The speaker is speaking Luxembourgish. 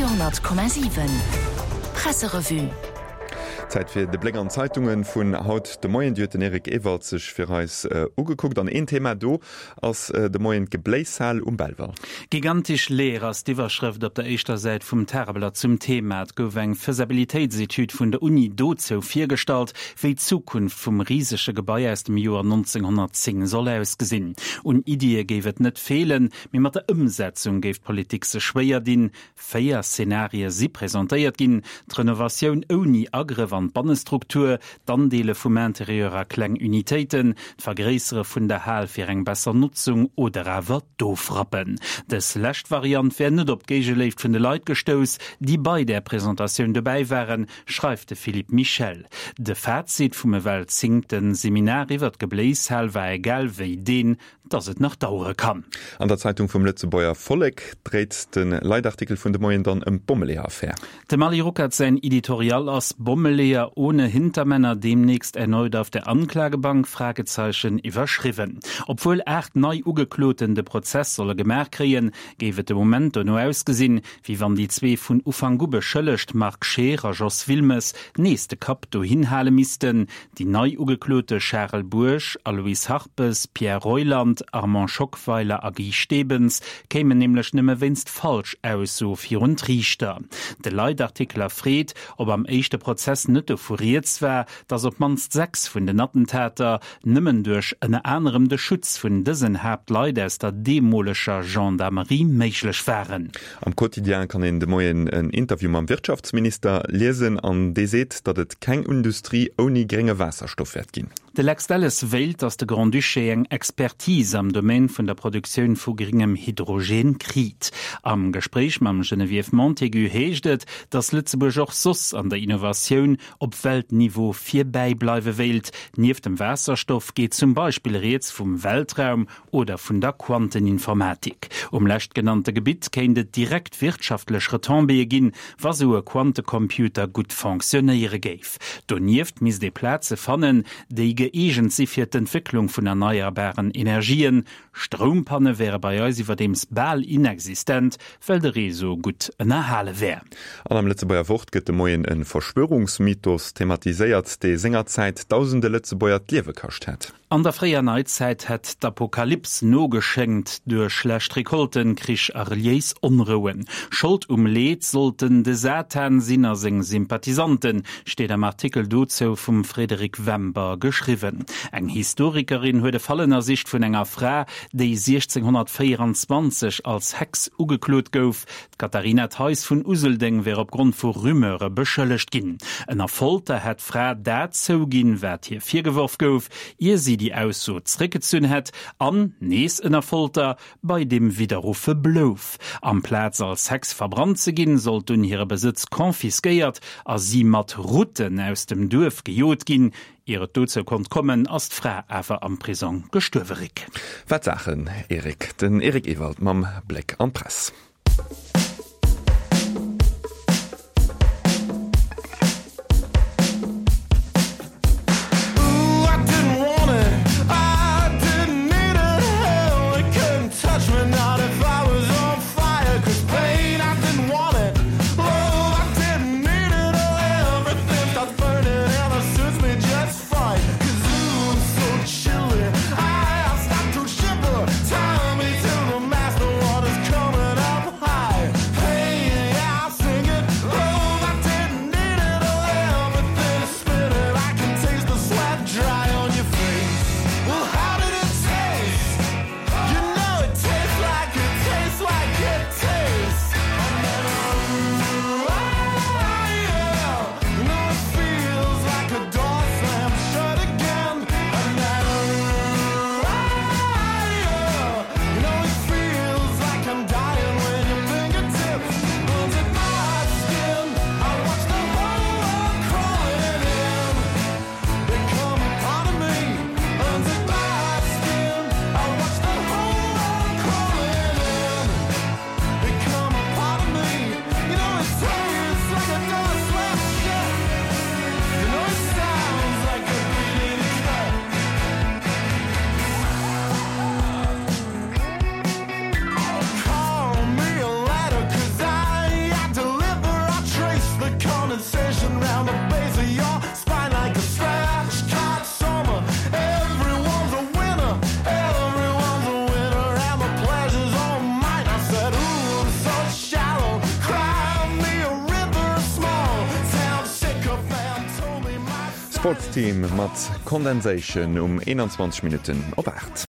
Radio,7 Presserevue. Zäit fir de Bléck an d'Zeitunge vun haut de Moien. Déi huet den Eric Ewald sech fir eis ugekuckt. An een Thema do ass de Moien d'Gebléishal um Belval. Gigantisch leer ass d'Iwwerschrëft op der éischter Säit vum Tageblatt zum Thema. Et gouf eng Faisabilitéitsetüd vun der Uni dozou virgestallt, wéi d'Zukunft vum risege Gebai aus dem Joer 1910 soll ausgesinn. Un Iddie géif et net feelen, mee mat der Ëmsetzung géif d'Politik sech schwéier dinn. Véier Zenarie si presentéiert ginn, d'Renovatioun ouni Agrëff an d'Bannestruktur, d'Andeele vum Interieur a kleng Unitéiten, d'Vergréissere vun der Hal fir eng besser Notzung oder awer d'Ofrappen. Dës lescht Variant wär net op d'Géigeléift vun de Leit gestouss, déi bei där Presentatioun dobäi waren, schreift de Philippe Michel. De Fazit vum ewell zéngte Seminar iwwer d'Gebléishal war egal wéi deen, dass et nach dauere kann. An der Zeitung vum Lëtzebuerger Vollek dréit de Leitartikel vun de Moien dann ëm d'Bommeleeër-Affär. Dem Ali Ruckert säin Editorial Ass Bommeleeër ohne Hintermänner demnächst erneut auf der Anklagebank? Fragezeichen iwwerschriwwen. Obwuel 8 nei Ugekloten de Prozess solle gemaach kréien, géif et de Moment dono ausgesinn, wéi wann déi zwee vun Ufank u beschëllegt Marc Scheer a Jos Wilmes nees de Kapp dohin hale missten. Déi nei Ugeklote Charel Bourg, Aloyse Harpes, Pierre Reuland, Armand Schockweiler a Guy Stebens kéimen nämlech nëmme wéinst Falschausso virun d'Riichter. De Leitartikler freet, ob am éischte Prozess net dovu rieds war, datt op d'mannst 6 vun den Attentater nëmmen duerch ënner anerem de Schutz vun dësen Haaptleit aus der deemoleger Gendarmerie méiglech waren. Am Quotidien kann een de Moien en Interview mam Wirtschaftsminister liesen an dee seet, datt et keng Industrie ouni grénge Waasserstoff wäert ginn. De Lex Delles wéilt, datt de Grand-Duché eng Expertise am Domaine vun der Produktioun vu gréngem Hydrogen kriit. Am Gespréich mam Geneviève Montaigu heescht et, datt Lëtzebuerg och soss an der Innovatioun op Weltniveau virbäi bleiwe wéilt. Nieft dem Waasserstoff geet zum Beispill rieds vum Weltraum oder vun der Quanteninformatik. Um leschtgenannte Gebitt kéint et direkt wirtschaftlech Retombéeë ginn, wa sou e Quantecomputer gutt fonctionnéiere géif. Donieft misst ee Plaze fannen, déi gëeegent si fir d'Entwécklung vun erneierbaren Energien. Stroumpanne wäre bei eis iwwerdeems bal inexistent, well de Réseau gutt ënnerhale wär. An am Lëtzebuerger Wort gëtt de Moien e Verschwörungsmythos thematiséiert, dee sengerzäit dausende Lëtzebuerger d'Liewe kascht hätt. An der fréier Neizäit hätt d'Apokalyps nogeschéngt duerch schlecht Recolten, Krich a reliéis Onrouen. Schold um Leed sollten de Satan sinn a seng Sympathisanten, steet am Artikel dozou vum Frédéric Wember geschriwwen. Eng Historikerin huet e Fall ënnersicht vun enger Fra, déi 1624 als Hex ugeklot gouf. D'Katharina Theis vun Useldeng wär opgrond vu Rumeure beschëllegt ginn. Ënner Folter hätt d'Fra dat zouginn, wat hir virgeworf gouf, ier si déi Ausso zréckgezunn hätt an, nees ënner Folter, bei deem Widderruffe blouf. Amplaz als Hex verbrannt ze ginn, sollt dunn hire Besëtz confisquéiert a si mat Rutten aus dem Duerf gejot ginn. Ier et dozou konnt kommen, ass d'Fra awer am Prisong gestuerwe. Rick. Wat Saachen, Eric. Den Eric Ewald mam Bléck an d'Press. Sports Team mat Condensation um 21 Minutten op 8.